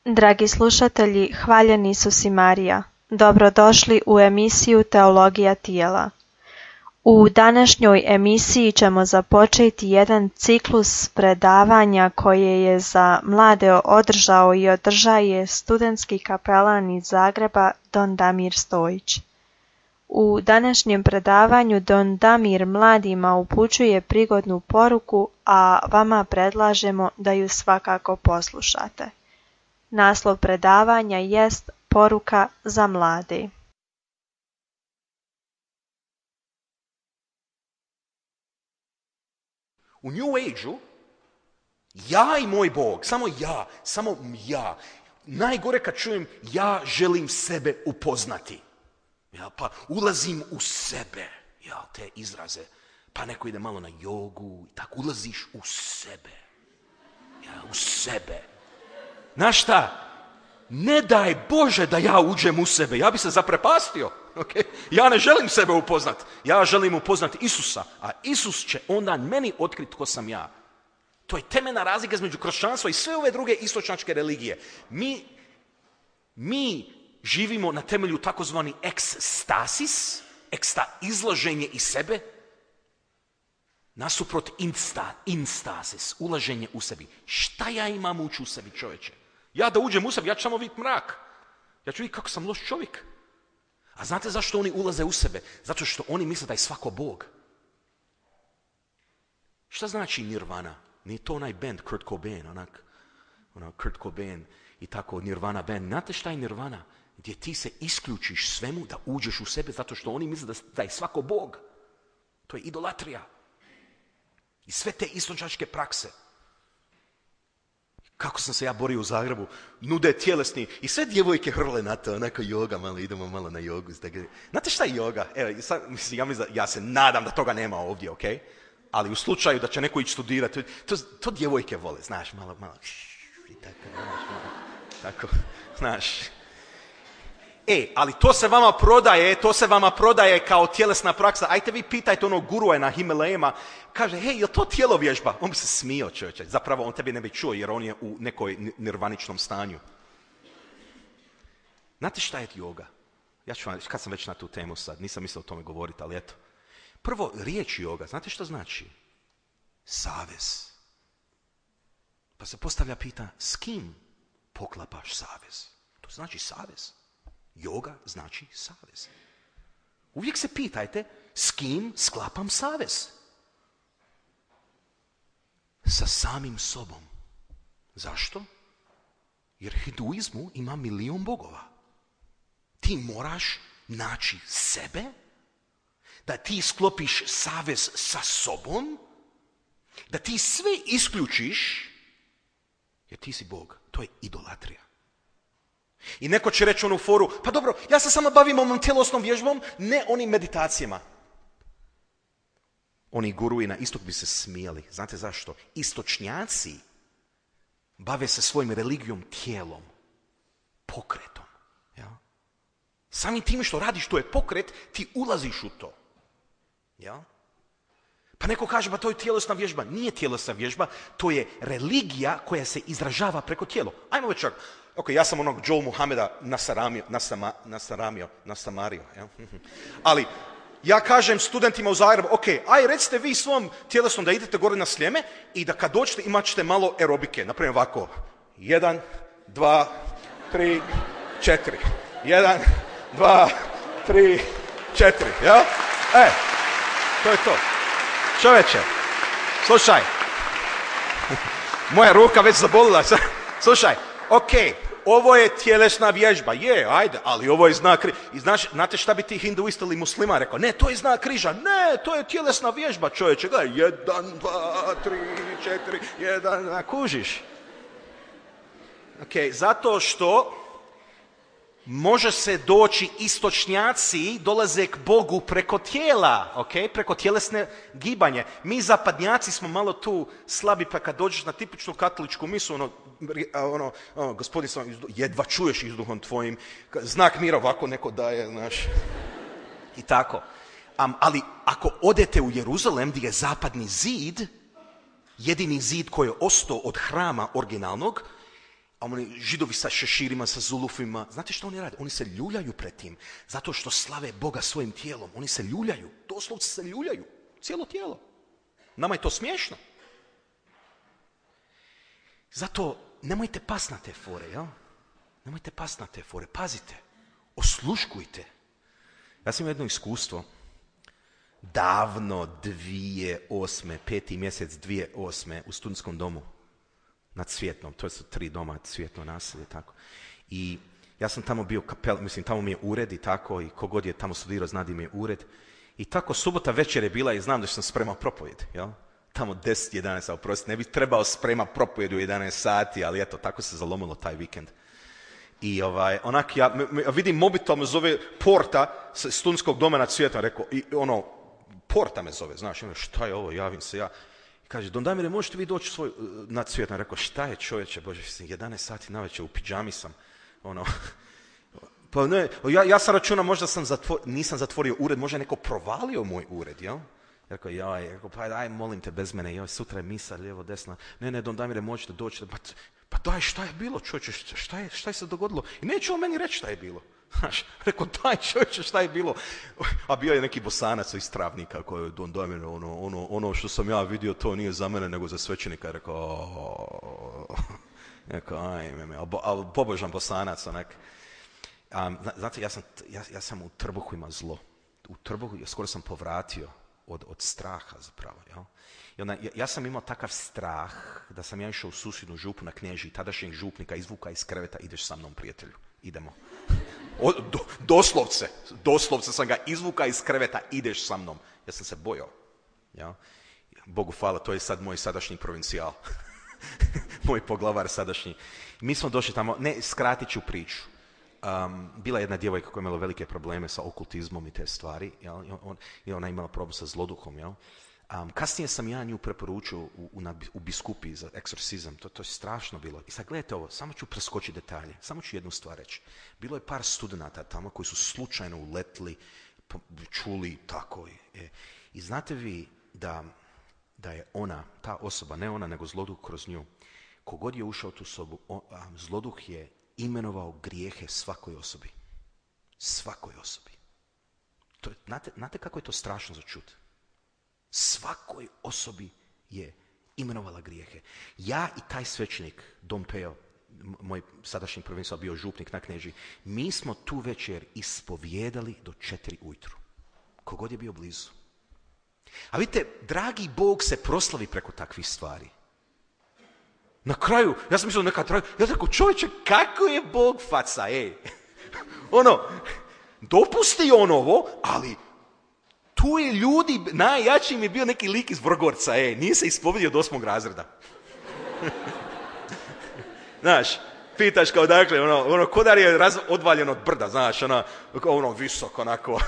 Dragi slušatelji, hvaljen Isus i Marija, dobrodošli u emisiju Teologija tijela. U današnjoj emisiji ćemo započeti jedan ciklus predavanja koje je za mlade održao i održaje studentski kapelan iz Zagreba Don Damir Stojić. U današnjem predavanju Don Damir mladima upućuje prigodnu poruku, a vama predlažemo da ju svakako poslušate. Naslov predavanja jest Poruka za mlade. U New Age-u, ja i moj Bog, samo ja. Najgore kad čujem, ja želim sebe upoznati. Ja, pa ulazim u sebe, ja, te izraze. Pa neko ide malo na jogu, tako ulaziš u sebe. Ja, u sebe. Znaš šta? Ne daj Bože da ja uđem u sebe, ja bi se zaprepastio. Okay? Ja ne želim sebe upoznati, ja želim upoznati Isusa, a Isus će onda meni otkriti tko sam ja. To je temeljna razlika između kršćanstva i sve ove druge istočnjačke religije. Mi živimo na temelju takozvani ekstasis, izlaženje iz sebe, nasuprot instasis, ulaženje u sebi. Šta ja imam ući u sebi, čovječe? Ja da uđem u sebi, ja ću samo vidjeti mrak. Ja ću vidjeti kako sam loš čovjek. A znate zašto oni ulaze u sebe? Zato što oni misle da je svako Bog. Šta znači nirvana? Nije to onaj band Kurt Cobain, Kurt Cobain i tako nirvana band. Znate šta je nirvana? Gdje ti se isključiš svemu da uđeš u sebe zato što oni misle da je svako Bog. To je idolatrija. I sve te istočnjačke prakse. Kako sam se ja borio u Zagrebu, nude tjelesni i sve djevojke hrle na to, onako joga, idemo malo na jogu. Znate šta je joga? Evo, ja se nadam da toga nema ovdje, ok? Ali u slučaju da će neko ići studirati, to djevojke vole, znaš, malo, i tako, znaš. Ali to se vama prodaje kao tjelesna praksa. Ajte vi pitajte onog gurua na Himalajima, kaže, je to tjelovježba? On bi se smio, čovječe. Zapravo on tebi ne bi čuo jer on je u nekoj nirvaničnom stanju. Znate šta je joga? Ja ću vam, kad sam već na tu temu sad, nisam mislio o tome govoriti, ali eto. Prvo, riječ joga, znate što znači? Savez. Pa se postavlja pitanje, s kim poklapaš savez? To znači savez. Joga znači savez. Uvijek se pitajte s kim sklapam savez. Sa samim sobom. Zašto? Jer hinduizmu ima 1.000.000 bogova. Ti moraš naći sebe, da ti sklopiš savez sa sobom, da ti sve isključiš, jer ti si Bog. To je idolatrija. I neko će reći onu foru, pa dobro, ja se samo bavim ovom tjelesnom vježbom, ne onim meditacijama. Oni guruji na istok bi se smijali. Znate zašto? Istočnjaci bave se svojim religijom tijelom, pokretom. Ja? Samim tim što radiš, to je pokret, ti ulaziš u to. Ja? Pa neko kaže, pa to je tjelesna vježba. Nije tjelesna vježba, to je religija koja se izražava preko tijela. Ajmo već čak. Ok, ja sam onog Joel Muhameda nasamario. Ja? Ali ja kažem studentima u Zagrebu, ok, recite vi svom tjelesnom da idete gore na Sljeme i da kad dođete imat ćete malo aerobike. Naprimjer ovako, 1, 2, 3, 4. 1, 2, 3, 4. Ja? To je to. Čovječe, slušaj. Moja ruka već zabolila. Slušaj, ok, ovo je tjelesna vježba, ajde, ali ovo je znak križa. I znate šta bi ti hinduista ili muslima rekao? Ne, to je znak križa, ne, to je tjelesna vježba, čovječe, gledaj, 1, 2, 3, 4, 1, kužiš. Ok, zato što može se doći, istočnjaci dolaze k Bogu preko tijela, okay? Preko tjelesne gibanje. Mi zapadnjaci smo malo tu slabi, pa kad dođeš na tipičnu katoličku misu, gospodin sam, jedva čuješ izduhom tvojim, znak mira ovako neko daje, znaš, i tako. Ali ako odete u Jeruzalem gdje je zapadni zid, jedini zid koji je ostao od hrama originalnog, A oni židovi sa šeširima, sa zulufima, znate što oni rade? Oni se ljuljaju pred tim, zato što slave Boga svojim tijelom. Oni se ljuljaju, doslovce se ljuljaju, cijelo tijelo. Nama je to smiješno. Zato nemojte pas na te fore, jel? Nemojte pas na te fore, pazite, osluškujte. Ja sam imao jedno iskustvo, davno 2008. 5. mjesec 2008. u studentskom domu nad Cvjetnom, to su 3 doma, Cvjetno naselje, tako. I ja sam tamo bio tamo mi je ured i tako, i kogod je tamo studirao zna di mi je ured. I tako subota večer je bila i znam da sam spremao propovjed, jel? Tamo 10-11, oprosti, ne bi trebao spremati propovjed u 11 sati, ali eto, tako se zalomilo taj vikend. I onak ja vidim mobitel me zove Porta s studentskog doma nad Cvjetnom, rekao, i Porta me zove, znaš, šta je ovo, javim se ja. I kaže, Don Damire, možete vi doći nad Cvjetnom? Rekao, šta je čovječe, bože, 11 sati navečer, u pidžami sam, Pa ne, ja sam računao, možda nisam zatvorio ured, možda je neko provalio moj ured, jel? Rekao, pa aj, molim te, bez mene, sutra je misa, lijevo, desna. Ne, Don Damire, možete doći. Pa daj, šta je bilo, čovječe, šta je se dogodilo? I neće on meni reći šta je bilo. Znaš, rekao, daj, čovječe, šta je bilo? A bio je neki Bosanac iz Travnika koji je Don Damire, ono što sam ja vidio, to nije za mene, nego za svećenika. Rekao, ali pobožan Bosanac, onak. Znate, ja sam u trbuhu imao zlo. U trbuhu, skoro sam povratio od straha zapravo. Jel? I onda, ja sam imao takav strah da sam ja išao u susjednu župu na Knežiji, tadašnjeg župnika, izvuka iz kreveta, ideš sa mnom, prijatelju, idemo. Doslovce sam ga izvuka iz kreveta, ideš sa mnom. Ja sam se bojao. Jel? Bogu hvala, to je sad moj sadašnji provincijal. Moj poglavar sadašnji. Mi smo došli tamo, skratit ću priču. Bila je jedna djevojka koja je imala velike probleme sa okultizmom i te stvari, jel? I ona je imala problem sa zloduhom. Jel? Kasnije sam ja nju preporučio u biskupiji za eksorcizam. To je strašno bilo. I sad gledajte ovo, samo ću preskočiti detalje, samo ću jednu stvar reći. Bilo je par studenata tamo koji su slučajno uletli, čuli tako. I znate vi da je ona, ta osoba, ne ona nego zloduh kroz nju, kogod je ušao u tu sobu, zloduh je imenovao grijehe svakoj osobi. Svakoj osobi. Znate kako je to strašno za čut? Svakoj osobi je imenovala grijehe. Ja i taj svećenik, Dom Peo, moj sadašnji provincial bio župnik na Knežiji, mi smo tu večer ispovijedali do 4 ujutru. Kogod je bio blizu. A vidite, dragi Bog se proslavi preko takvih stvari. Na kraju, ja sam mislio neka traju, ja rekao, čovječe, kako je Bog faca, dopusti on ovo, ali tu je ljudi, najjači mi je bio neki lik iz Vrgorca, nije se ispovedio od 8. razreda. Znaš, pitaš kao dakle, kodar je odvaljen od brda, znaš, visok, onako,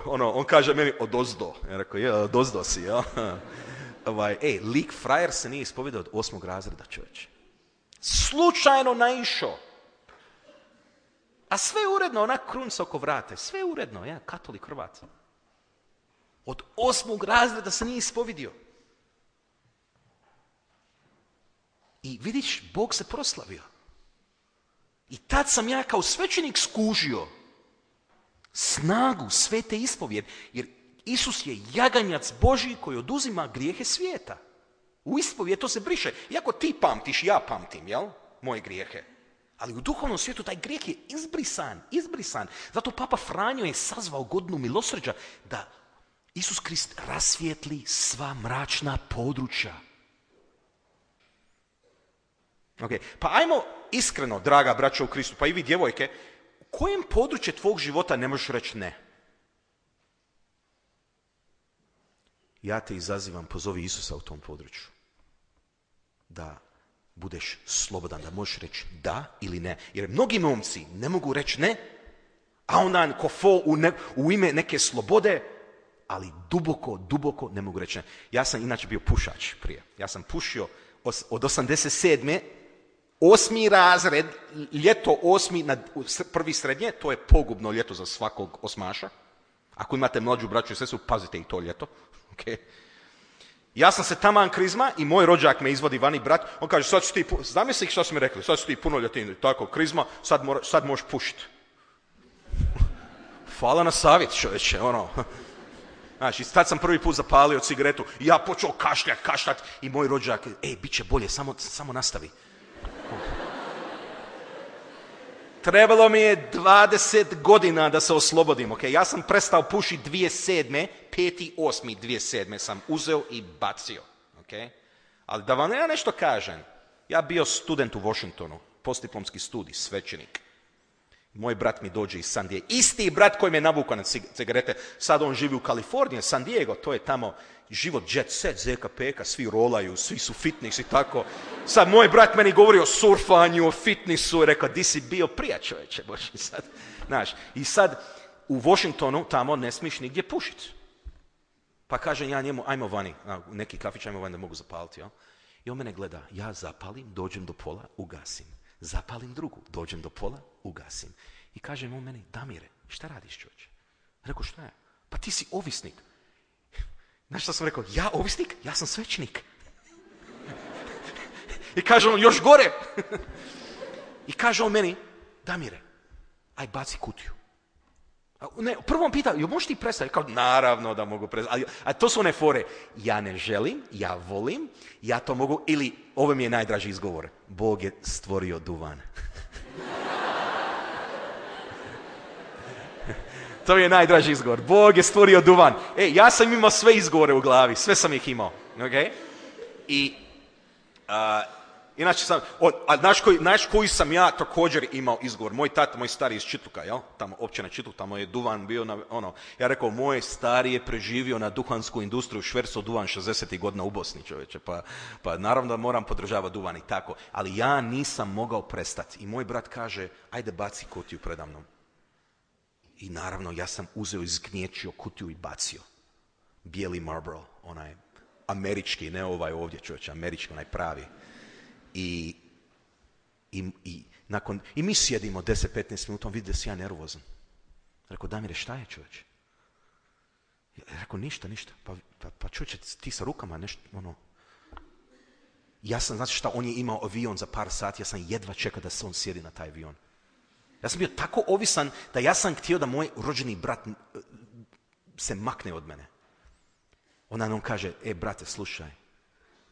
on kaže meni odozdo. Ja rekao, odozdo si, jel? Lik frajer se nije ispovedao od 8. razreda, čovječe. Slučajno naišao. A sve uredno, onak krunca oko vrata. Sve uredno, katolik Hrvat. Od 8. razreda se nije ispovedio. I vidiš, Bog se proslavio. I tad sam ja kao svećenik skužio snagu svete ispovjed, jer Isus je jaganjac Božji koji oduzima grijehe svijeta. U ispovjed to se briše. Iako ti pamtiš, ja pamtim, jel? Moje grijehe. Ali u duhovnom svijetu taj grijeh je izbrisan. Zato Papa Franjo je sazvao godinu milosrđa da Isus Krist rasvijetli sva mračna područja. Okay. Pa ajmo iskreno, draga braćo u Kristu, pa i vi djevojke, u kojem području tvog života ne možeš reći ne? Ja te izazivam, pozovi Isusa u tom području. Da budeš slobodan, da možeš reći da ili ne. Jer mnogi momci ne mogu reći ne, a onda kofo u ime neke slobode, ali duboko ne mogu reći ne. Ja sam inače bio pušač prije. Ja sam pušio od 87. 8. razred, ljeto 8. na prvi srednje, to je pogubno ljeto za svakog osmaša. Ako imate mlađu braću i sestru, pazite i to ljeto. Okay. Ja sam se taman krizma i moj rođak me izvodi vani, brat, on kaže, sad su ti, zamisli što su mi rekli, sad su ti punoljetni, tako, krizma, sad možeš pušiti. Hvala na savjet, čovječe, ono. Znači, tad sam prvi put zapalio cigaretu i ja počeo kašljat i moj rođak, bit će bolje, samo nastavi. Trebalo mi je 20 godina da se oslobodim, ok? Ja sam prestao pušiti 2007. 5.8.2007. sam uzeo i bacio, ok? Ali da vam ja nešto kažem, ja bio student u Washingtonu, postdiplomski studij, svećenik. Moj brat mi dođe iz San Diego, isti brat koji me navukao na cigarete, sad on živi u Kaliforniji, San Diego, to je tamo život jet set, ZKPK, svi rolaju, svi su fitness i tako. Sad moj brat meni govori o surfanju, o fitnessu i rekao, di si bio prija, čovječe, boži sad. Znaš, i sad u Washingtonu tamo ne smiješ nigdje pušiti. Pa kažem ja njemu, ajmo vani, u neki kafić, ajmo vani da mogu zapaliti, jel? I on mene gleda, ja zapalim, dođem do pola, ugasim. Zapalim drugu, dođem do pola, ugasim. I kaže on meni, Damire, šta radiš, čovječe? Rekao, šta je? Pa ti si ovisnik. Znaš šta sam rekao? Ja ovisnik? Ja sam svećenik. I kaže on, još gore. I kaže on meni, Damire, aj baci kutiju. Ne, prvo on pita, možeš ti prestati? Kao, naravno da mogu prestati. A to su one fore. Ja ne želim, ja volim, ja to mogu, ili, ovo mi je najdraži izgovor, Bog je stvorio duvan. To je najdraži izgovor. Bog je stvorio duvan. Ja sam imao sve izgovore u glavi, sve sam ih imao. Okay? I inače sam, znaš koji sam ja također imao izgovor? Moj tata, moj stari iz Čitluka, jel? Tamo, općina Čitluk, tamo je duvan bio na, ono. Ja rekao, moj stari je preživio na duhansku industriju, švercao duvan 60. godina u Bosni, čovječe. Pa naravno da moram podržavati duvan i tako. Ali ja nisam mogao prestati. I moj brat kaže, ajde baci kutiju predamnom. I naravno, ja sam uzeo, izgnječio kutiju i bacio. Bijeli Marlboro, onaj američki, ne ovaj ovdje, čovječe, američki, onaj pravi. I mi sjedimo 10-15 minuta, on vidi da si ja nervozan. Rekao, Damire, šta je, čovječe? Rekao, ništa. Pa čovječe, ti sa rukama nešto, ono. Ja sam, znači šta, on je imao avion za par sati, ja sam jedva čekao da se on sjedi na taj avion. Ja sam bio tako ovisan da ja sam htio da moj rođeni brat se makne od mene. Onda on kaže, brate, slušaj.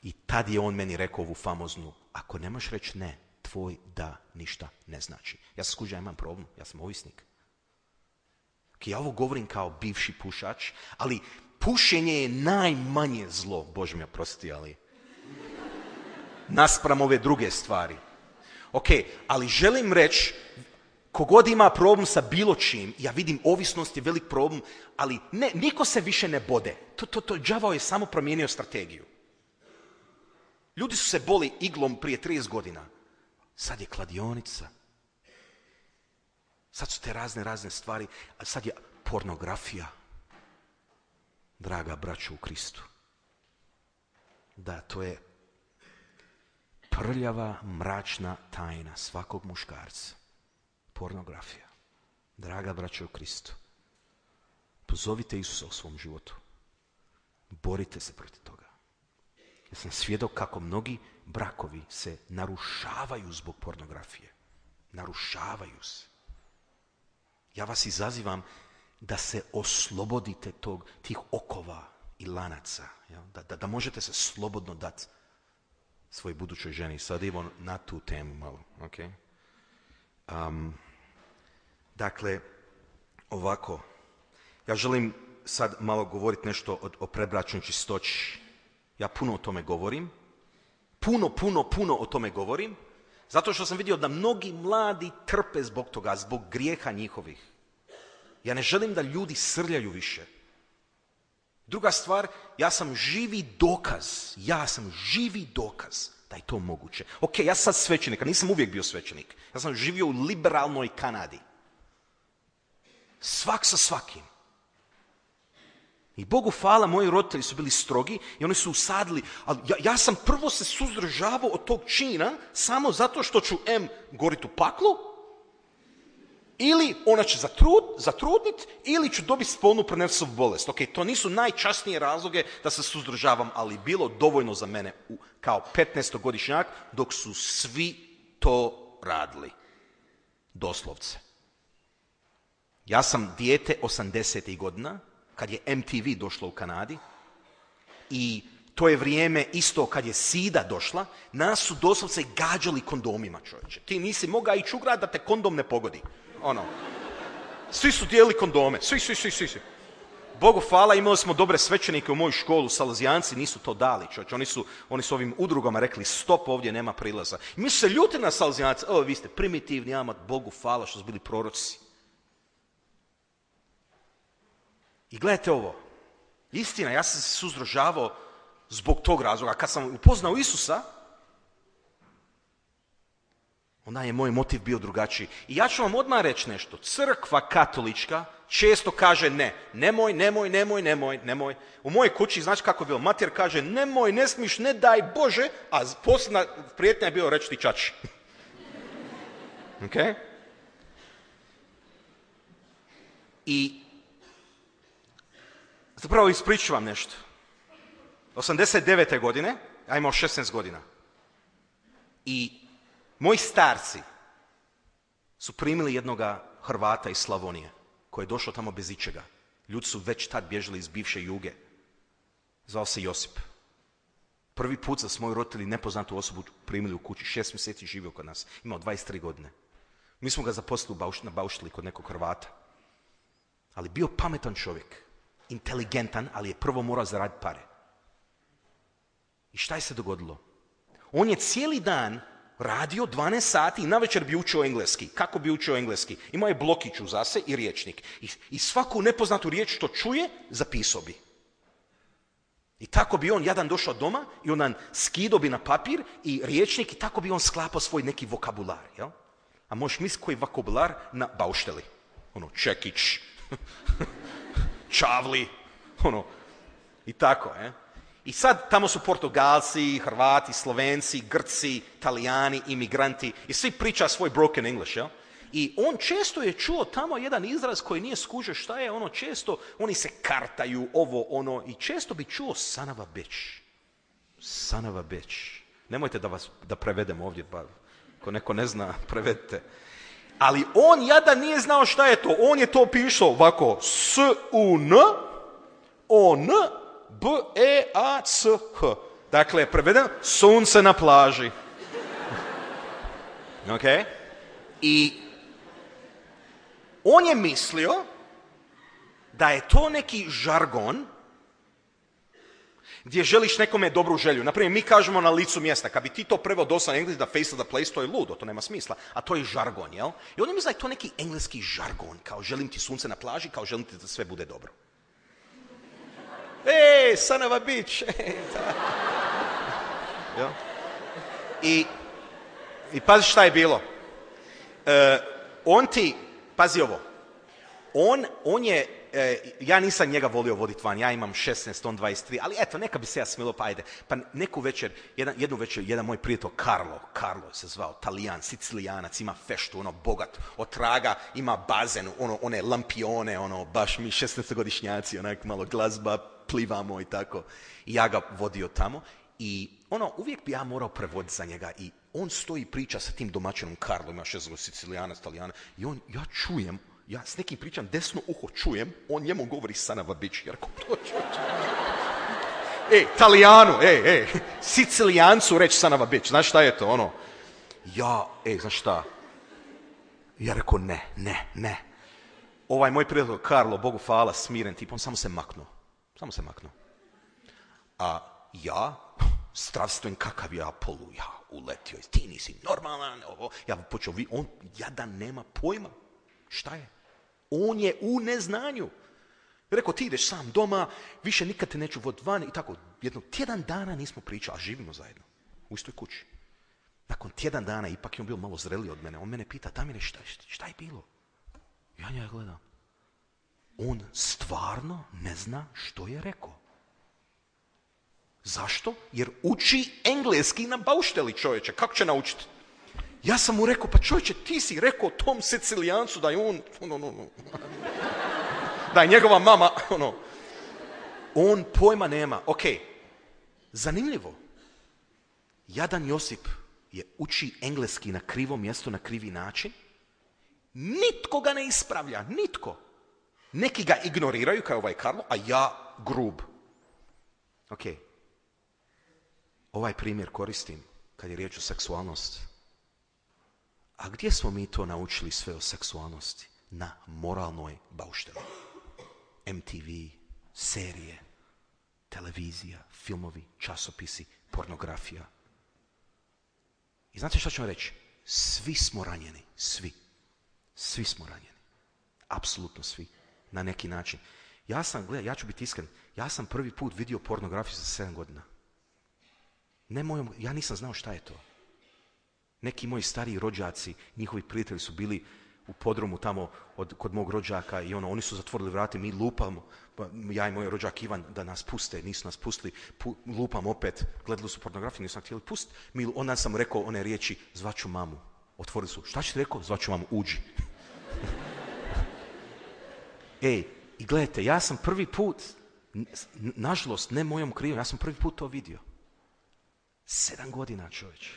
I tad je on meni rekao ovu famoznu, ako ne možeš reći ne, tvoj da ništa ne znači. Ja sam skužio, ja imam problem, ja sam ovisnik. Ja ovo govorim kao bivši pušač, ali pušenje je najmanje zlo, Bože mi oprosti, ali naspram ove druge stvari. Ok, ali želim reći, kogod ima problem sa bilo čim, ja vidim ovisnost je velik problem, ali niko se više ne bode. Đavao je samo promijenio strategiju. Ljudi su se boli iglom prije 30 godina. Sad je kladionica. Sad su te razne stvari. A sad je pornografija. Draga braćo u Kristu. Da, to je prljava, mračna tajna svakog muškarca. Pornografija. Draga braćo u Kristu. Pozovite Isusa u svom životu. Borite se protiv toga. Ja sam svjedok kako mnogi brakovi se narušavaju zbog pornografije. Narušavaju se. Ja vas izazivam da se oslobodite tih okova i lanaca. Da možete se slobodno dati svojoj budućoj ženi. Sad idemo na tu temu malo. Okay? Dakle, ovako. Ja želim sad malo govoriti nešto o predbračnoj čistoći. Ja puno o tome govorim. Puno o tome govorim. Zato što sam vidio da mnogi mladi trpe zbog toga, zbog grijeha njihovih. Ja ne želim da ljudi srljaju više. Druga stvar, ja sam živi dokaz da je to moguće. Ok, ja sam sad svećenik, a nisam uvijek bio svećenik. Ja sam živio u liberalnoj Kanadi. Svak sa svakim. I Bogu hvala, moji roditelji su bili strogi i oni su usadili, ali ja sam prvo se suzdržavao od tog čina samo zato što ću goriti u paklu Ili ona će zatrudnit, ili ću dobiti spolnu prenosivu bolest. Ok, to nisu najčasnije razloge da se suzdržavam, ali bilo dovoljno za mene kao 15-godišnjak dok su svi to radili. Doslovce. Ja sam dijete 80. godina, kad je MTV došlo u Kanadi, i to je vrijeme isto kad je sida došla, nas su doslovce gađali kondomima, čovječe. Ti nisi mogao ići u grad da te kondom ne pogodi. Svi su dijelili kondome, svi. Bogu hvala, imali smo dobre svećenike u moju školu, Salezijanci nisu to dali, čovječe. Oni su ovim udrugama rekli, stop, ovdje nema prilaza. I mi su se ljuti na Salezijance, vi ste primitivni, ama Bogu hvala što su bili proroci. I gledajte ovo, istina, ja sam se suzdržavao zbog tog razloga. Kad sam upoznao Isusa, onda je moj motiv bio drugačiji. I ja ću vam odmah reći nešto. Crkva katolička često kaže ne. Nemoj. U mojoj kući, znači kako je bilo, mater kaže nemoj, ne smiš, ne daj Bože, a posljedna prijetnja je bilo reći ti čači. Ok? I zapravo ispričat ću vam nešto. 89. godine, ja imao 16 godina. I moji starci su primili jednoga Hrvata iz Slavonije, koji je došao tamo bez ičega. Ljudi su već tad bježali iz bivše Juge. Zvao se Josip. Prvi put za svoju roditelji nepoznatu osobu primili u kući. 6 mjeseci živio kod nas. Imao 23 godine. Mi smo ga zaposlili na baušteli kod nekog Hrvata. Ali bio pametan čovjek. Inteligentan, ali je prvo morao zaraditi pare. I šta je se dogodilo? On je cijeli dan radio 12 sati i navečer bi učio engleski. Kako bi učio engleski? Imao je blokić uza se i rječnik. I svaku nepoznatu riječ što čuje, zapisao bi. I tako bi on jadan došao doma i on skidao bi na papir i rječnik i tako bi on sklapao svoj neki vokabular. Jel? A možeš misliti koji vokabular na baušteli. Čekić, čavli, i tako. I sad tamo su Portugalci, Hrvati, Slovenci, Grci, Talijani, imigranti i svi priča svoj broken English, jel? I on često je čuo tamo jedan izraz koji nije skužio šta je, često, oni se kartaju, i često bi čuo son of a bitch. Son of a bitch. Nemojte da prevedem ovdje, pa ako neko ne zna, prevedite. Ali on jadan nije znao šta je to. On je to pisao ovako, S-U-N, O-N, B-E-A-C-H. Dakle, prevedeno, sunce na plaži. Ok? I on je mislio da je to neki žargon gdje želiš nekome dobru želju. Naprimjer, mi kažemo na licu mjesta. Kad bi ti to preveo dosta na engleski da face of the place, to je ludo, to nema smisla. A to je žargon, jel? I on je mislio da je to neki engleski žargon. Kao želim ti sunce na plaži, kao želim ti da sve bude dobro. Son of a bitch. I pazi šta je bilo. Pazi ovo. On je, ja nisam njega volio voditi van, ja imam 16, on 23, ali eto, neka bi se ja smilo, pa ajde. Pa jednu večer, jedan moj prijatelj, Carlo se zvao, Talijan, Sicilijanac, ima feštu, bogat, otraga, ima bazen, one lampione, baš mi 16-godišnjaci, onak malo glazba, plivamo i tako. I ja ga vodio tamo i uvijek bi ja morao prevoditi za njega i on stoji priča sa tim domaćinom Carlo, ima 6 Sicilijanac, Talijana, i ja čujem, ja s nekim pričam, desno uho čujem, on njemu govori son of a bitch, jer ko to čuje? Talijanu, Sicilijancu reći son of a bitch, znaš šta je to, znaš šta? Ja rekao, ne. Ovaj moj prijatelj Carlo, Bogu hvala, smiren tip, on samo se maknuo. A ja, zdravstven kakav ja uletio, ti nisi normalan, ja počeo, on jadan nema pojma. Šta je? On je u neznanju. Rekao, ti ideš sam doma, više nikad te neću voditi van i tako. Tjedan dana nismo pričali, a živimo zajedno. U istoj kući. Nakon tjedan dana, ipak je on bio malo zreliji od mene. On mene pita, Damire, šta je bilo? Ja njega gledam. On stvarno ne zna što je rekao. Zašto? Jer uči engleski na baušteli, čovječe. Kako će naučiti? Ja sam mu rekao, pa čovječe, ti si rekao tom Sicilijancu da je on, da je njegova mama, on pojma nema. Ok, zanimljivo. Jadan Josip je uči engleski na krivo mjesto, na krivi način. Nitko ga ne ispravlja, nitko. Neki ga ignoriraju kao ovaj Karlo, a ja grub. Ok, ovaj primjer koristim kad je riječ o seksualnosti. A gdje smo mi to naučili sve o seksualnosti? Na moralnoj baušteli. MTV, serije, televizija, filmovi, časopisi, pornografija. I znate što ću vam reći? Svi smo ranjeni, svi. Svi smo ranjeni. Apsolutno svi. Na neki način. Ja ću biti iskren, ja sam prvi put vidio pornografiju za 7 godina. Ja nisam znao šta je to. Neki moji stariji rođaci, njihovi prijatelji su bili u podrumu tamo kod mog rođaka i oni su zatvorili vrata, mi lupamo, ja i moj rođak Ivan da nas puste, nisu nas pustili, lupam opet, gledali su pornografiju, nisu nas htjeli pustiti, onda sam rekao one riječi, zvaću mamu, otvorili su, šta ćete rekao, zvaću mamu, uđi. Ej, i gledajte, ja sam prvi put, nažalost, ne mojom krivom, ja sam prvi put to vidio. 7 godina, čovječe.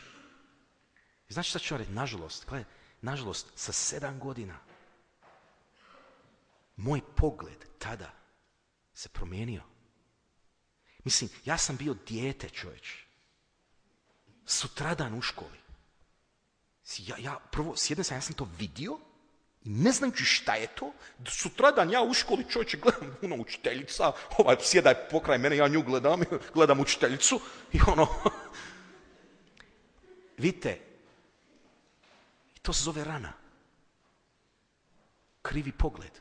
I znači šta ću vam reći? Nažalost, sa 7 godina moj pogled tada se promijenio. Mislim, ja sam bio dijete, čovječe. Sutradan u školi. Prvo, s jedne strane, ja sam to vidio i ne znajući šta je to, sutradan ja u školi, čovječe, gledam učiteljica, sjeda pokraj mene, ja nju gledam učiteljicu i vidite, to se zove rana. Krivi pogled.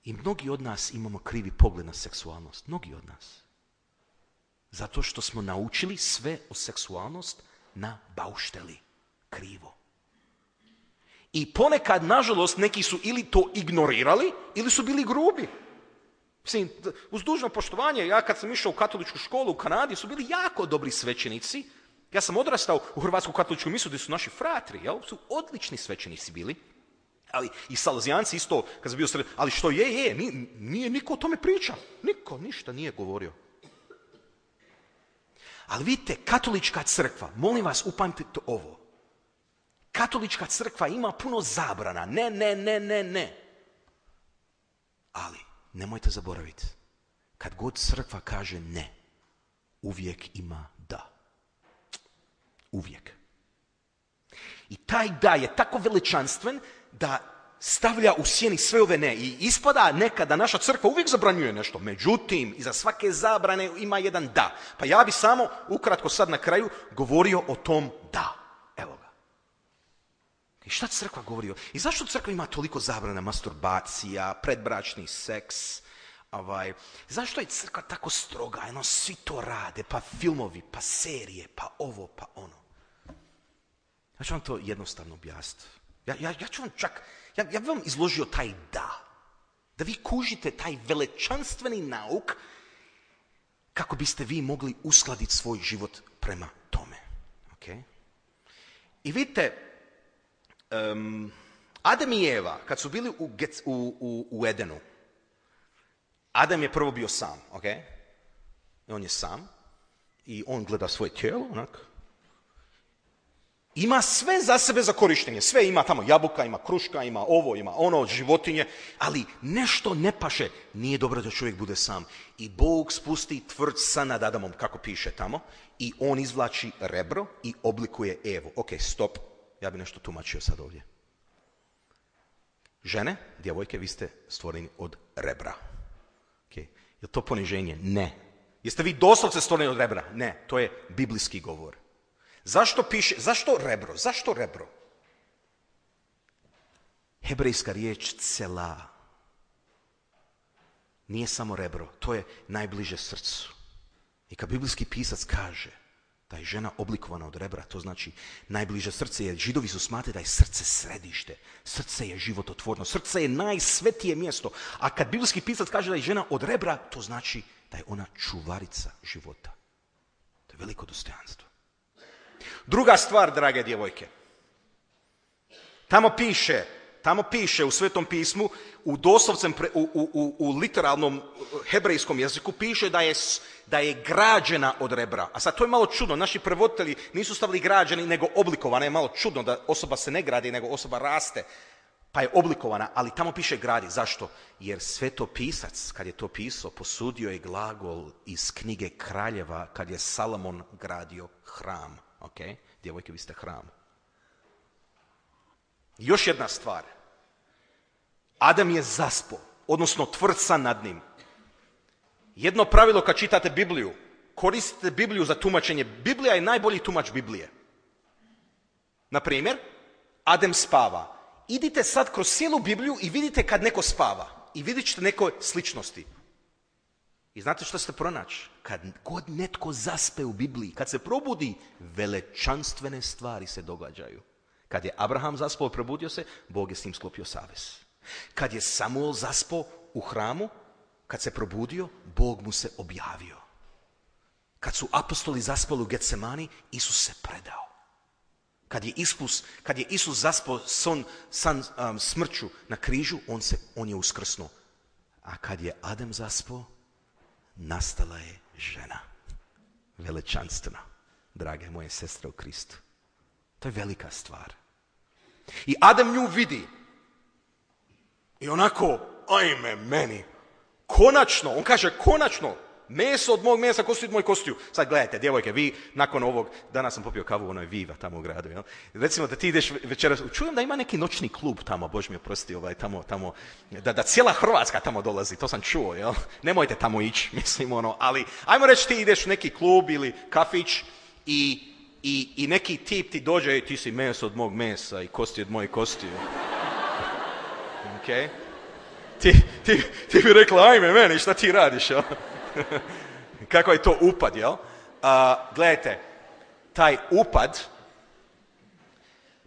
I mnogi od nas imamo krivi pogled na seksualnost. Mnogi od nas. Zato što smo naučili sve o seksualnost na baušteli. Krivo. I ponekad, nažalost, neki su ili to ignorirali, ili su bili grubi. Mislim, uz dužno poštovanje, ja kad sam išao u katoličku školu u Kanadi, su bili jako dobri svećenici. Ja sam odrastao u Hrvatsku katoličku misu gdje su naši fratri, su odlični svećenici bili. Ali i Salezijanci isto, kad sam bio sred, ali što nije niko o tome priča. Niko ništa nije govorio. Ali vidite, katolička crkva, molim vas, upamtite ovo. Katolička crkva ima puno zabrana. Ne. Ali, nemojte zaboraviti, kad god crkva kaže ne, uvijek ima da. Uvijek. I taj da je tako veličanstven da stavlja u sjeni sve ove ne. I ispada nekada naša crkva uvijek zabranjuje nešto. Međutim, iza svake zabrane ima jedan da. Pa ja bi samo ukratko sad na kraju govorio o tom da. Evo ga. I šta crkva govori? I zašto crkva ima toliko zabrana? Masturbacija, predbračni seks. Zašto je crkva tako stroga? Svi to rade, pa filmovi, pa serije, pa ovo, pa ono. Ja ću vam to jednostavno objasniti. Ja ću vam ja bi vam izložio taj da vi kužite taj velečanstveni nauk kako biste vi mogli uskladiti svoj život prema tome. Okay? I vidite, Adam i Eva, kad su bili u Edenu, Adam je prvo bio sam, ok? I on je sam i on gleda svoje tijelo, onak. Ima sve za sebe za korištenje, sve ima tamo, jabuka, ima kruška, ima ovo, ima ono, životinje, ali nešto ne paše, nije dobro da čovjek bude sam. I Bog spusti tvrd san nad Adamom, kako piše tamo, i on izvlači rebro i oblikuje Evu. Ok, stop, ja bi nešto tumačio sad ovdje. Žene, djevojke, vi ste stvoreni od rebra. Okay. Je to poniženje? Ne. Jeste vi doslovce stvoreni od rebra? Ne, to je biblijski govor. Zašto rebro? Zašto rebro? Hebrejska riječ cela nije samo rebro, to je najbliže srcu. I kad biblijski pisac kaže da je žena oblikovana od rebra, to znači najbliže srce, jer Židovi su smatrali da je srce središte, srce je živototvorno, srce je najsvetije mjesto. A kad biblijski pisac kaže da je žena od rebra, to znači da je ona čuvarica života. To je veliko dostojanstvo. Druga stvar, drage djevojke. Tamo piše u Svetom pismu, u doslovcem, u literalnom hebrejskom jeziku piše da je građena od rebra. A sad to je malo čudno. Naši prevoditelji nisu stavili građeni, nego oblikovana. Je malo čudno da osoba se ne gradi, nego osoba raste. Pa je oblikovana, ali tamo piše gradi. Zašto? Jer svetopisac, kad je to pisao, posudio je glagol iz knjige Kraljeva, kad je Salomon gradio hram. Ok? Djevojke, vi ste hram. Još jedna stvar. Adam je zaspo, odnosno tvrd nad njim. Jedno pravilo kad čitate Bibliju, koristite Bibliju za tumačenje. Biblija je najbolji tumač Biblije. Na primjer, Adam spava. Idite sad kroz cijelu Bibliju i vidite kad neko spava. I vidjet ćete neke sličnosti. I znate što ste pronaći? Kad god netko zaspe u Bibliji, kad se probudi, velečanstvene stvari se događaju. Kad je Abraham zaspao i probudio se, Bog je s njim sklopio savez. Kad je Samuel zaspao u hramu, kad se probudio, Bog mu se objavio. Kad su apostoli zaspali u Getsemani, Isus se predao. Kad je Isus zaspao smrću na križu, on je uskrsnuo. A kad je Adam zaspao, nastala je žena. Velečanstvena, drage moje sestre u Kristu. To je velika stvar. I Adam nju vidi. I onako, ajme meni. Konačno, on kaže konačno. Meso od mog mesa, kosti od moj kostiju. Sad gledajte, djevojke, vi nakon ovog, danas sam popio kavu u onoj Viva tamo u gradu, jel? Recimo da ti ideš večeras, čujem da ima neki noćni klub tamo, Bože mi oprosti, tamo, da cijela Hrvatska tamo dolazi, to sam čuo, jel? Nemojte tamo ići, mislim, ali ajmo reći ti ideš u neki klub ili kafić i neki tip ti dođe i ti si meso od mog mesa i kosti od mojih kostiju. Ok? Ti bi rekla, ajme meni, šta ti radiš, jel? Kako je to upad, jel? Gledajte, taj upad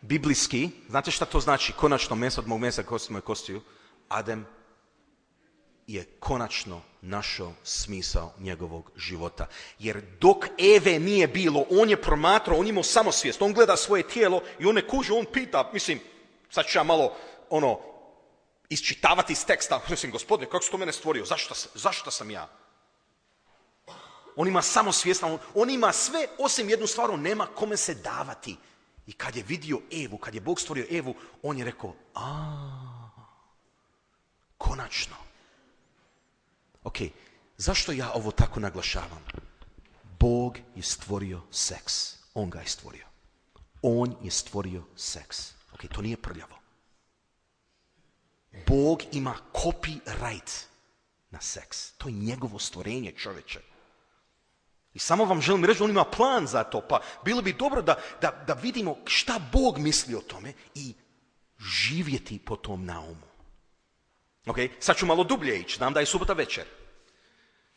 biblijski, znate šta to znači? Konačno meso od mog mesa, kosti od mojih kostiju. Adam je konačno našao smisao njegovog života. Jer dok Eve nije bilo, on je promatrao, on imao samosvijest, on gleda svoje tijelo i on ne kuže, on pita, mislim, sad ću ja malo, isčitavati iz teksta, mislim, Gospodine, kako si to mene stvorio, zašto sam ja? On ima samosvijest, on ima sve osim jednu stvar, on nema kome se davati. I kad je vidio Evu, kad je Bog stvorio Evu, on je rekao, konačno. Ok, zašto ja ovo tako naglašavam? Bog je stvorio seks. On ga je stvorio. On je stvorio seks. Ok, to nije prljavo. Bog ima copyright na seks. To je njegovo stvorenje, čovječe. I samo vam želim reći, on ima plan za to, pa bilo bi dobro da vidimo šta Bog misli o tome i živjeti po tom naumu. Ok, sad ću malo dublje ići, znam da je subota večer.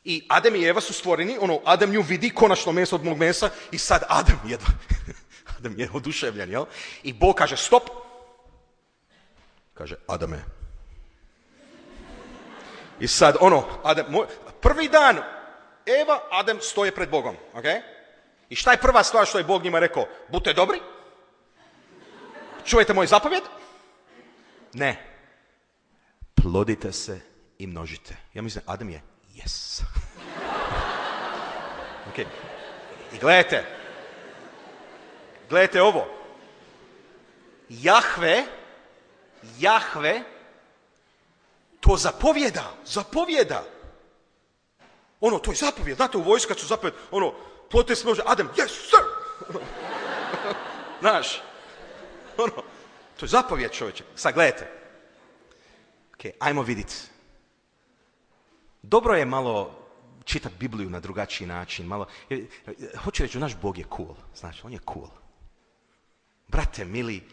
I Adam i Eva su stvoreni, Adam nju vidi, konačno meso od mog mesa, i sad Adam je oduševljen, jel? I Bog kaže stop. Kaže, Adame. I sad Adam, prvi dan, Eva, Adam stoje pred Bogom, ok? I šta je prva stvar što je Bog njima rekao? Budite dobri? Čujete moj zapovjed? Ne. Plodite se i množite. Ja mislim, Adam je, yes. Ok. I gledajte ovo. Jahve to zapovjeda. To je zapovjed. Znate, u vojsku kad su zapovjed, plodite se, Adam, yes, sir. Znaš, to je zapovjed, čovječe. Sad gledajte. Ok, ajmo vidjeti. Dobro je malo čitati Bibliju na drugačiji način. Hoću reći, naš Bog je cool. Znači, on je cool. Brate, mili,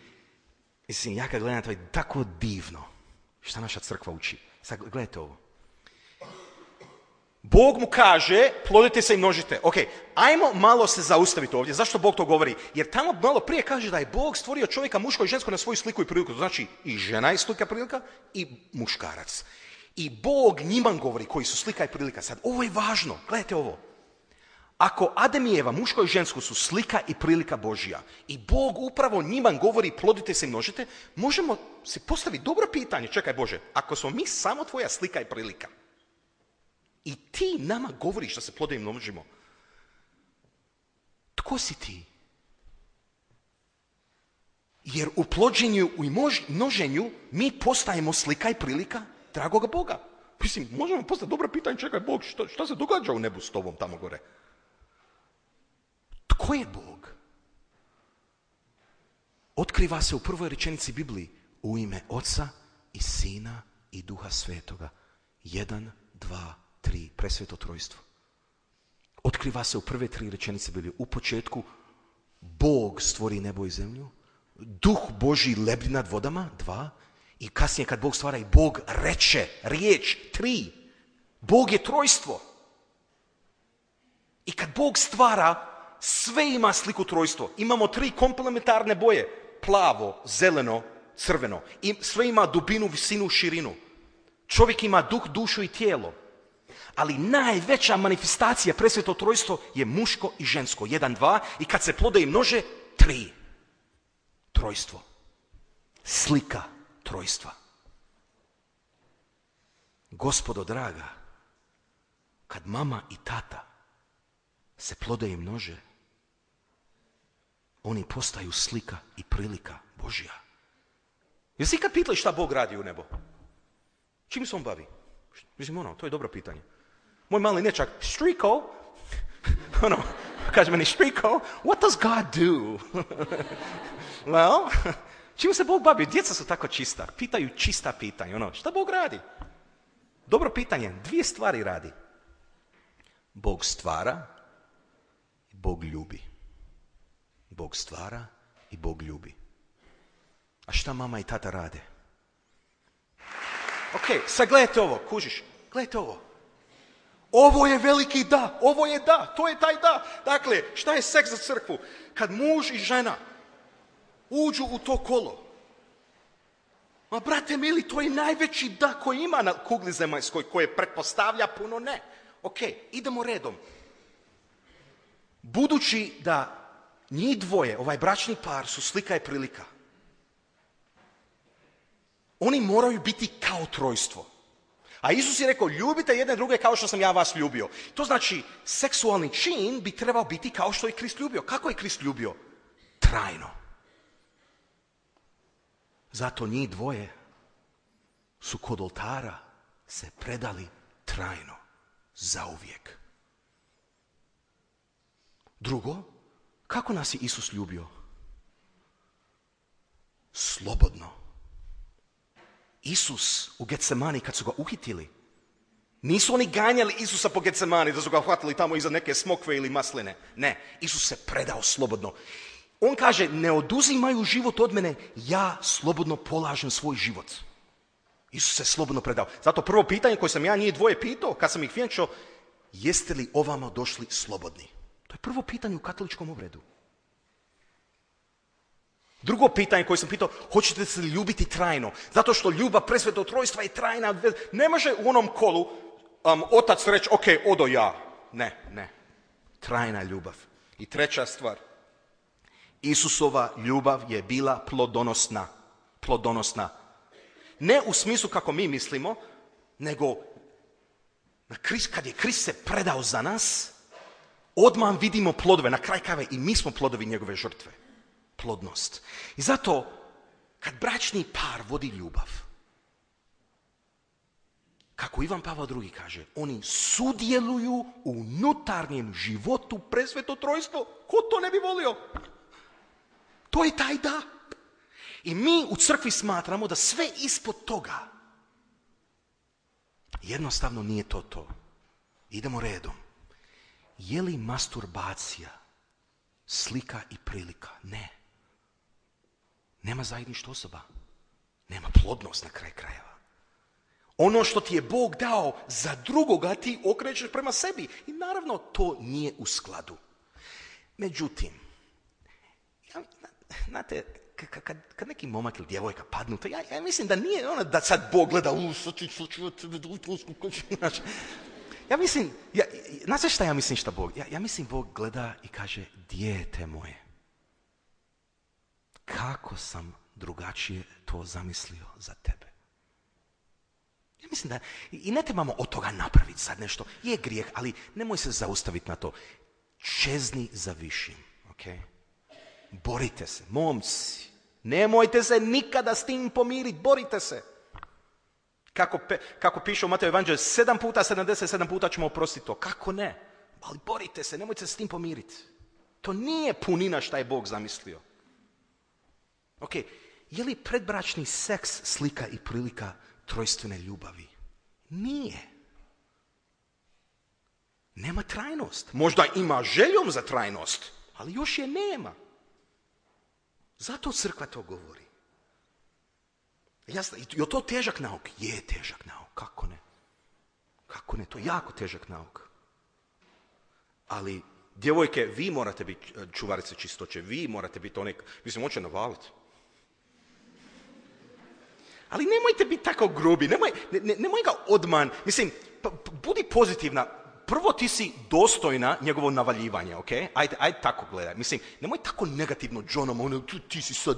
mislim, ja kad gledam, to je tako divno šta naša crkva uči. Sad gledajte ovo. Bog mu kaže, plodite se i množite. Ok, ajmo malo se zaustaviti ovdje. Zašto Bog to govori? Jer tamo malo prije kaže da je Bog stvorio čovjeka muško i žensko na svoju sliku i priliku. To znači i žena je slika i prilika i muškarac. I Bog njima govori koji su slika i prilika. Sad, ovo je važno. Gledajte ovo. Ako Adam i Eva, muško i žensko, su slika i prilika Božja i Bog upravo njima govori plodite se i množite, možemo se postaviti dobro pitanje, čekaj Bože, ako smo mi samo tvoja slika i prilika i ti nama govoriš da se plodimo i množimo, tko si ti? Jer u plođenju i množenju mi postajemo slika i prilika dragoga Boga. Mislim, možemo postaviti dobro pitanje, čekaj Bog, šta se događa u nebu s tobom tamo gore? Tko je Bog? Otkriva se u prvoj rečenici Bibliji u ime Oca i Sina i Duha Svetoga. 1, 2, 3, presveto trojstvo. Otkriva se u prve 3 rečenice Biblije. U početku Bog stvori nebo i zemlju, Duh Božji lebdi nad vodama, 2, i kasnije kad Bog stvara i Bog reče, riječ, 3. Bog je trojstvo. I kad Bog stvara, sve ima sliku trojstvo. Imamo 3 komplementarne boje. Plavo, zeleno, crveno. I sve ima dubinu, visinu, širinu. Čovjek ima duh, dušu i tijelo. Ali najveća manifestacija presveto trojstvo je muško i žensko. 1, 2. I kad se plode i množe, 3. Trojstvo. Slika trojstva. Gospodo draga, kad mama i tata se plode i množe, oni postaju slika i prilika Božja. Jesi ikad pitali šta Bog radi u nebo? Čim se on bavi? Mislim, to je dobro pitanje. Moj mali nečak, Štriko, kaže meni, Štriko, what does God do? Well, čim se Bog bavi? Djeca su tako čista, pitaju čista pitanja, šta Bog radi? Dobro pitanje, 2 stvari radi. Bog stvara i Bog ljubi. Bog stvara i Bog ljubi. A šta mama i tata rade? Ok, sad gledajte ovo, kužiš, gledajte ovo. Ovo je veliki da, ovo je da, to je taj da. Dakle, šta je seks za crkvu? Kad muž i žena uđu u to kolo. Ma brate mili, to je najveći da koji ima na kugli zemaljskoj, koje pretpostavlja puno ne. Ok, idemo redom. Budući da njih dvoje, ovaj bračni par, su slika i prilika, oni moraju biti kao trojstvo. A Isus je rekao, ljubite jedne druge kao što sam ja vas ljubio. To znači, seksualni čin bi trebao biti kao što je Krist ljubio. Kako je Krist ljubio? Trajno. Zato njih dvoje su kod oltara se predali trajno, zauvijek. Drugo, kako nas je Isus ljubio? Slobodno. Isus u Getsemani, kad su ga uhitili, nisu oni ganjali Isusa po Getsemani da su ga hvatili tamo iza neke smokve ili masline. Ne, Isus se predao slobodno. On kaže, ne oduzimaju život od mene, ja slobodno polažem svoj život. Isus se slobodno predao. Zato prvo pitanje koje sam ja njih dvoje pitao, kad sam ih vjenčao, jeste li ovamo došli slobodni? To je prvo pitanje u katoličkom obredu. Drugo pitanje koje sam pitao, hoćete se ljubiti trajno? Zato što ljubav presvetog trojstva je trajna. Ne može u onom kolu otac reći, ok, odo ja. Ne. Trajna ljubav. I treća stvar, Isusova ljubav je bila plodonosna. Plodonosna. Ne u smislu kako mi mislimo, nego kad je Krist se predao za nas, odmah vidimo plodove. Na kraj krajeva i mi smo plodovi njegove žrtve. Plodnost. I zato, kad bračni par vodi ljubav, kako Ivan Pavao II kaže, oni sudjeluju u unutarnjem životu presveto trojstvo. Ko to ne bi volio? To je taj da. I mi u crkvi smatramo da sve ispod toga jednostavno nije to. Idemo redom. Je li masturbacija slika i prilika? Ne. Nema zajedništva osoba. Nema plodnost na kraj krajeva. Ono što ti je Bog dao za drugoga ti okrećeš prema sebi. I naravno to nije u skladu. Međutim, znate, kad neki momak ili djevojka padnu, to ja mislim da nije ono da sad Bog gleda, Ja mislim, znate šta ja mislim šta Bog? Ja mislim Bog gleda i kaže, dijete moje, kako sam drugačije to zamislio za tebe. Ja mislim da, i ne trebamo od toga napraviti sad nešto, je grijeh, ali nemoj se zaustaviti na to. Čezni za višim, ok? Borite se, momci, nemojte se nikada s tim pomiriti, borite se. Kako piše u Mateju evanđelju, 7 puta, 77 puta ćemo oprostiti to. Kako ne? Ali borite se, nemojte se s tim pomiriti. To nije punina šta je Bog zamislio. Ok, je li predbračni seks slika i prilika trojstvene ljubavi? Nije. Nema trajnost. Možda ima željom za trajnost, ali još je nema. Zato crkva to govori. Jasno, je to težak nauk? Je težak nauk, kako ne? Kako ne, to je jako težak nauk. Ali, djevojke, vi morate biti čuvarice čistoće, vi morate biti one, mislim, hoće navaliti. Ali nemojte biti tako grubi, nemoj ga odman, mislim, budi pozitivna. Prvo ti si dostojna njegovo navaljivanja, ok? Ajde tako gledaj. Mislim, nemoj tako negativno Johnom, ti si sad,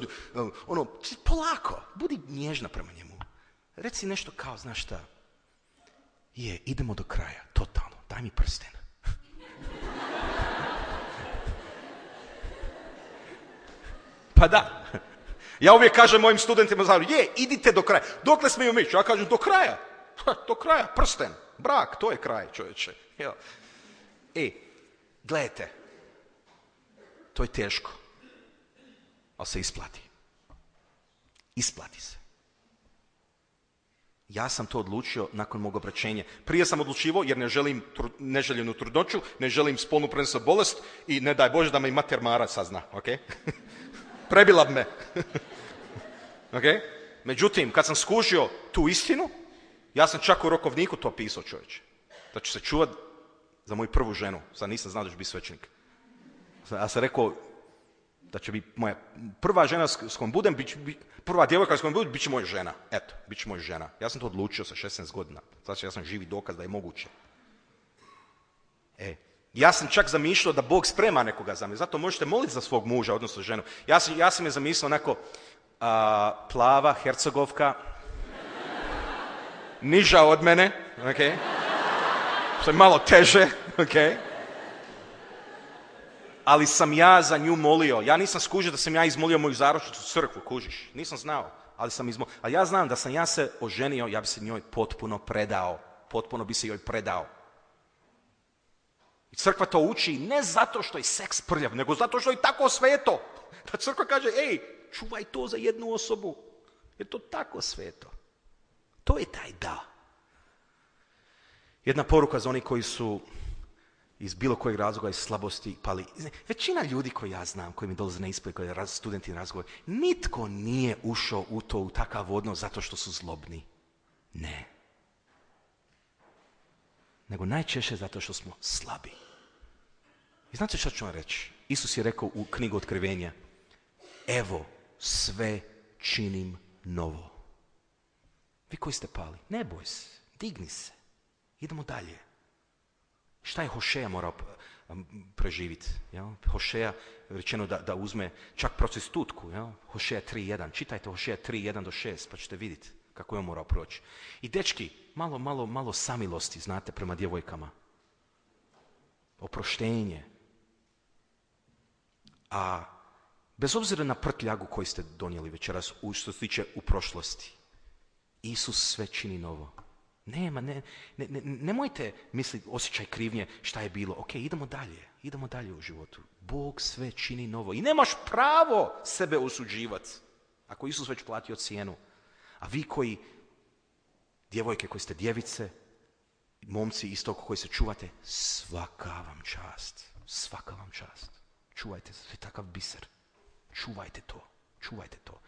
polako, budi nježna prema njemu. Reci nešto kao, znaš šta, idemo do kraja, totalno, daj mi prsten. Pa da, ja uvijek kažem mojim studentima, idite do kraja. Dokle smiju mići? Ja kažem, do kraja. Do kraja, prsten, brak, to je kraj, čovječe. Gledajte, to je teško, ali se isplati. Isplati se. Ja sam to odlučio nakon mog obraćenja. Prije sam odlučivao jer ne želim neželjenu trudnoću, ne želim spolnu prenosnu bolest i ne daj Bože da me i mater Mara sazna, ok? Prebila bi me. Ok? Međutim, kad sam skužio tu istinu, ja sam čak u rokovniku to pisao, čovječe. Da ću se čuvat za moju prvu ženu. Sad nisam znao da ću biti svećenik. Ja sam rekao da će biti moja prva žena s kojom budem, prva djevojka s kojom budem, bit će moja žena. Eto, bit će moja žena. Ja sam to odlučio sa 16 godina. Znači, ja sam živi dokaz da je moguće. Ja sam čak zamišljao da Bog sprema nekoga za me. Zato možete moliti za svog muža, odnosno ženu. Ja sam je zamislio onako plava, hercegovka, niža od mene, ok? Što je malo teže, ok? Ali sam ja za nju molio. Ja nisam skužio da sam ja izmolio moju zaručnicu u crkvu, kužiš. Nisam znao, ali sam izmolio. Ali ja znam da sam ja se oženio, ja bi se njoj potpuno predao. Potpuno bi se joj predao. I crkva to uči ne zato što je seks prljav, nego zato što je tako sveto. Da crkva kaže, čuvaj to za jednu osobu. Je to tako sveto. To je taj da. Jedna poruka za oni koji su iz bilo kojeg razloga, iz slabosti pali. Većina ljudi koji ja znam, koji mi dolaze na ispit, koji studenti na razgovor, nitko nije ušao u takav odnos zato što su zlobni. Ne. Nego najčešće zato što smo slabi. I znate što ću vam reći? Isus je rekao u knjigu Otkrivenja, evo sve činim novo. Vi koji ste pali, ne boj se, digni se, idemo dalje. Šta je Hošeja morao preživiti? Hošeja rečeno da uzme čak prostitutku. Hošeja 3.1. Čitajte Hošeja 3.1-6 pa ćete vidjeti kako je on morao proći. I dečki, malo samilosti, znate, prema djevojkama. Oproštenje. A bez obzira na prtljagu koju ste donijeli večeras, što se tiče u prošlosti, Isus sve čini novo. Nemojte misliti osjećaj krivnje šta je bilo. Ok, idemo dalje u životu. Bog sve čini novo. I nemaš pravo sebe osuđivati ako Isus već platio cijenu. A vi koji, djevojke koji ste djevice, momci isto koji se čuvate, svaka vam čast. Čuvajte se, svi takav biser. Čuvajte to.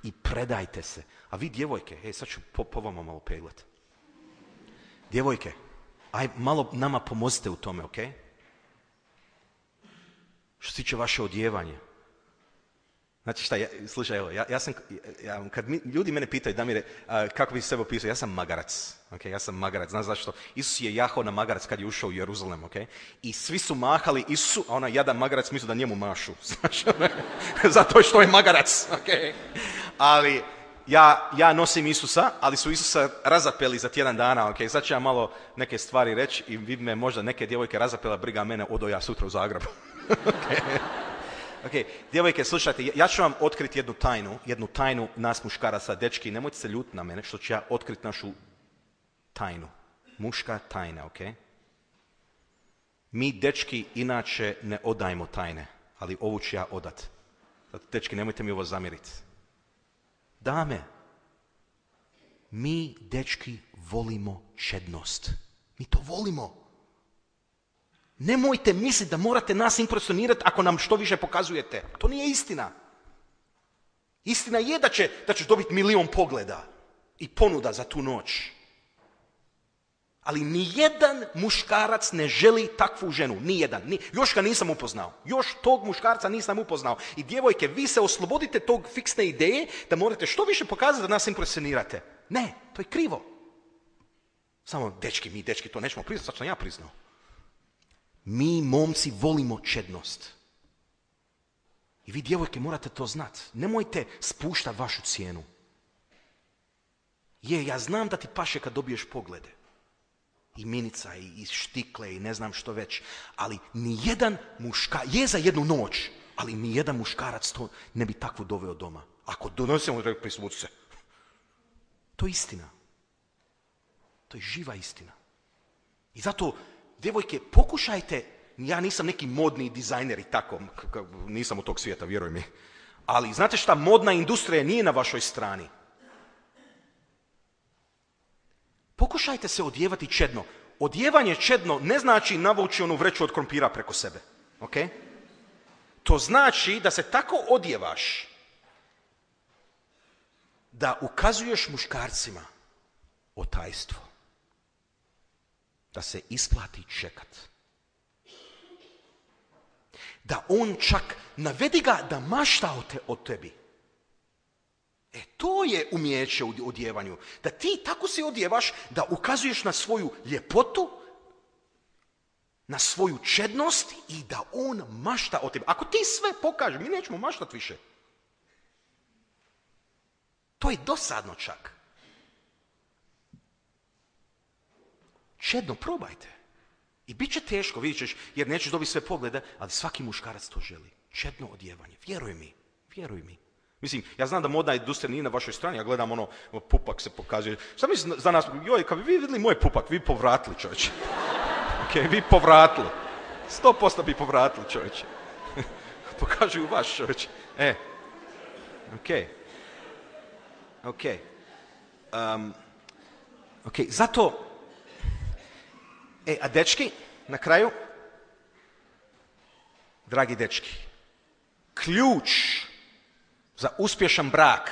I predajte se. A vi djevojke, sad ću po vama malo peglat. Djevojke, malo nama pomozite u tome, ok? Što se tiče vaše odjevanje. Znači šta, slušaj, evo, kad ljudi mene pitaju, Damire, kako bi sebe opisao, ja sam magarac, okay? Ja sam magarac, znaš zašto? Isus je jahao na magarac kad je ušao u Jeruzalem, okay? I svi su mahali Isusu, a onaj jadan magarac misli da njemu mašu, znaš, zato što je magarac, okay? Ali ja nosim Isusa, ali su Isusa razapeli za tjedan dana, okay? Sad ću ja malo neke stvari reći i vid me možda neke djevojke razapela, briga mene, odo ja sutra u Zagrebu. Okay. Ok, djevojke, slušajte, ja ću vam otkriti jednu tajnu nas muškaraca, dečki, nemojte se ljuti na mene što ću ja otkriti našu tajnu. Muška tajna, ok? Mi, dečki, inače ne odajemo tajne, ali ovu ću ja odat. Zato, dečki, nemojte mi ovo zamjeriti. Dame, mi, dečki, volimo čednost. Mi to volimo. Nemojte misliti da morate nas impresionirati ako nam što više pokazujete. To nije istina. Istina je da ćeš dobiti 1.000.000 pogleda i ponuda za tu noć. Ali nijedan muškarac ne želi takvu ženu. Nijedan. Još ga nisam upoznao. Još tog muškarca nisam upoznao. I djevojke, vi se oslobodite tog fiksne ideje da morate što više pokazati da nas impresionirate. Ne, to je krivo. Samo mi dečki to nećemo priznati, sad sam ja priznao. Mi, momci, volimo čednost. I vi, djevojke, morate to znati. Nemojte spuštati vašu cijenu. Ja znam da ti paše kad dobiješ poglede. I minica, i štikle, i ne znam što već. Ali nijedan je za jednu noć, ali nijedan muškarac to ne bi takvu doveo doma. Ako donosimo, prisvuci se. To je istina. To je živa istina. I zato, djevojke, pokušajte, ja nisam neki modni dizajner i tako, nisam u tog svijeta, vjeruj mi. Ali znate šta, modna industrija nije na vašoj strani. Pokušajte se odjevati čedno. Odjevanje čedno ne znači navući onu vreću od krompira preko sebe. Okay? To znači da se tako odjevaš da ukazuješ muškarcima otajstvo. Da se isplati čekat. Da on čak navedi ga da mašta o tebi. To je umijeće u odjevanju. Da ti tako se odjevaš da ukazuješ na svoju ljepotu, na svoju čednost i da on mašta o tebi. Ako ti sve pokažeš, mi nećemo maštat više. To je dosadno čak. Čedno, probajte. I bit će teško, vidjet ćeš, jer nećeš dobiti sve poglede, ali svaki muškarac to želi. Čedno odjevanje. Vjeruj mi. Mislim, ja znam da modna industrija nije na vašoj strani, ja gledam pupak se pokazuje. Šta mislim za nas, kad bi vi vidjeli moj pupak, vi povratili, čovječe. Ok, vi povratili. 100% bi povratili, čovječe. Pokažu vaš, čovječe. Ok, zato, a dečki, na kraju, dragi dečki, ključ za uspješan brak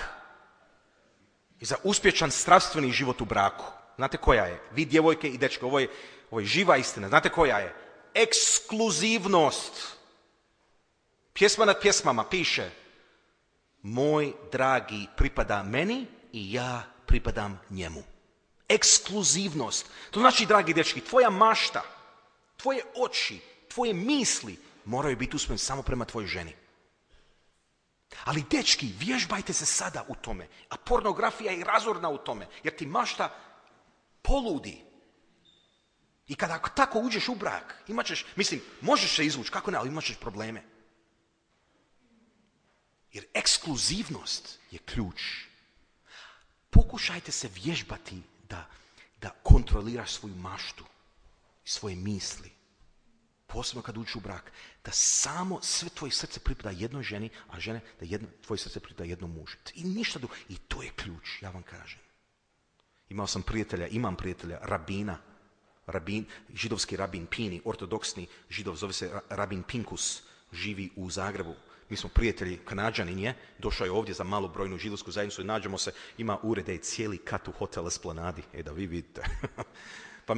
i za uspješan strastveni život u braku. Znate koja je? Vi, djevojke i dečki, ovo je živa istina. Znate koja je? Ekskluzivnost. Pjesma nad pjesmama piše: moj dragi pripada meni i ja pripadam njemu. Ekskluzivnost. To znači, dragi dečki, tvoja mašta, tvoje oči, tvoje misli moraju biti usmjerene samo prema tvojoj ženi. Ali dečki, vježbajte se sada u tome. A pornografija je razorna u tome. Jer ti mašta poludi. I kada tako uđeš u brak, možeš se izvući, kako ne, ali imat ćeš probleme. Jer ekskluzivnost je ključ. Pokušajte se vježbati da kontroliraš svoju maštu i svoje misli. Posebno kad uđeš u brak, da samo sve tvoje srce pripada jednoj ženi, a žene da tvoje srce pripada jednom mužu. I ništa drugo. I to je ključ, ja vam kažem. Imam prijatelja, židovski rabin Pini, ortodoksni židov, zove se rabin Pinkus, živi u Zagrebu. Mi smo prijatelji, Kanađanin je, došao je ovdje za malobrojnu židovsku zajednicu i nađemo se, ima urede i cijeli kat u hotel Esplanadi, da vi vidite. Pa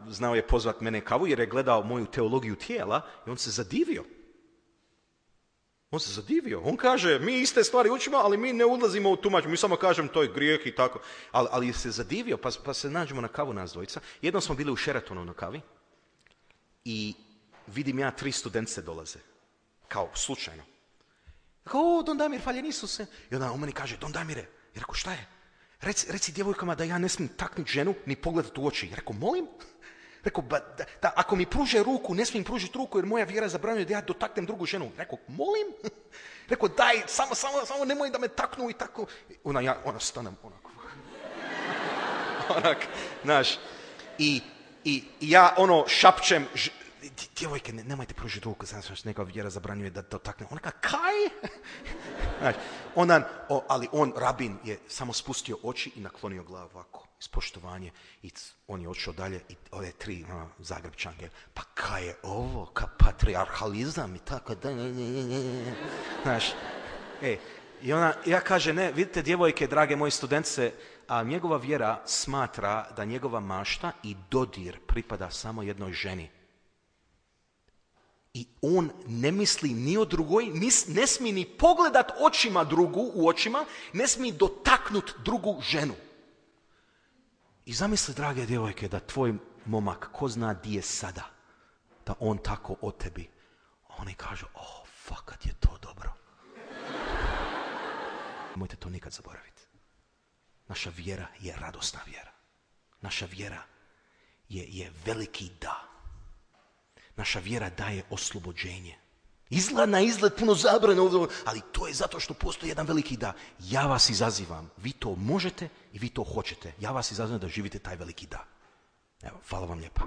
znao je pozvat mene kavu jer je gledao moju teologiju tijela i on se zadivio. On se zadivio. On kaže, mi iste stvari učimo, ali mi ne ulazimo u tumačenje. Mi samo kažemo to je grijeh i tako. Ali se zadivio, pa se nađemo na kavu nas dvojica. Jednom smo bili u Sheratonu na kavi i vidim ja 3 studentice dolaze. Kao, slučajno. Kao, Don Damir, hvaljen Isuse. I onda on meni kaže, Don Damire. I rekao, šta je? Reci djevojkama da ja ne smijem taknuti ženu ni pogledati u oči. I rekao, molim? Rekao, da ako mi pruže ruku, ne smijem pružiti ruku jer moja vjera zabranjuje da ja dotaknem drugu ženu. Rekao, molim? Rekao, daj, samo nemoj da me taknu i tako. Ona stanem onako. Znaš. I ja šapčem, djevojke, nemojte pružiti ruku, znači neka vjera zabranjuje da dotaknem. Ona kao, kaj? Znaš, ali rabin, je samo spustio oči i naklonio glavu ovako, iz poštovanje. I on je odšao dalje i ove 3 Zagrebčanke. Pa kaj je ovo? Ka patriarhalizam i tako da. Znaš, i ja kaže, ne, vidite djevojke, drage moje studentice, a njegova vjera smatra da njegova mašta i dodir pripada samo jednoj ženi. I on ne misli ni o drugoj, ne smije ni pogledat očima drugu u očima, ne smije dotaknut drugu ženu. I zamisli, drage djevojke, da tvoj momak, ko zna di je sada, da on tako o tebi. Oni kažu, fakat je to dobro. Nemojte to nikad zaboraviti. Naša vjera je radosna vjera. Naša vjera je veliki da. Naša vjera daje oslobođenje. Na izgled puno zabrane, ali to je zato što postoji jedan veliki da. Ja vas izazivam. Vi to možete i vi to hoćete. Ja vas izazivam da živite taj veliki da. Evo, hvala vam lijepa.